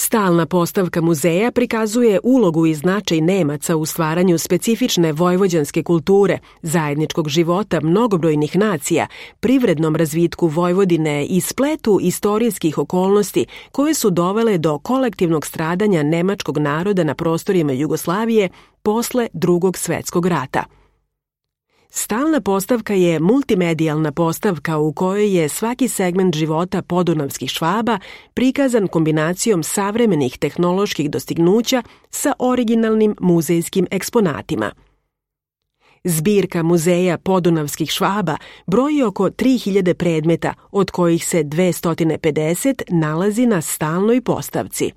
Stalna postavka muzeja prikazuje ulogu i značaj Nemaca u stvaranju specifične vojvođanske kulture, zajedničkog života mnogobrojnih nacija, privrednom razvitku Vojvodine i spletu istorijskih okolnosti koje su dovele do kolektivnog stradanja nemačkog naroda na prostorima Jugoslavije posle Drugog svetskog rata. Stalna postavka je multimedijalna postavka u kojoj je svaki segment života podunavskih Švaba prikazan kombinacijom savremenih tehnoloških dostignuća sa originalnim muzejskim eksponatima. Zbirka muzeja podunavskih Švaba broji oko 3000 predmeta, od kojih se 250 nalazi na stalnoj postavci.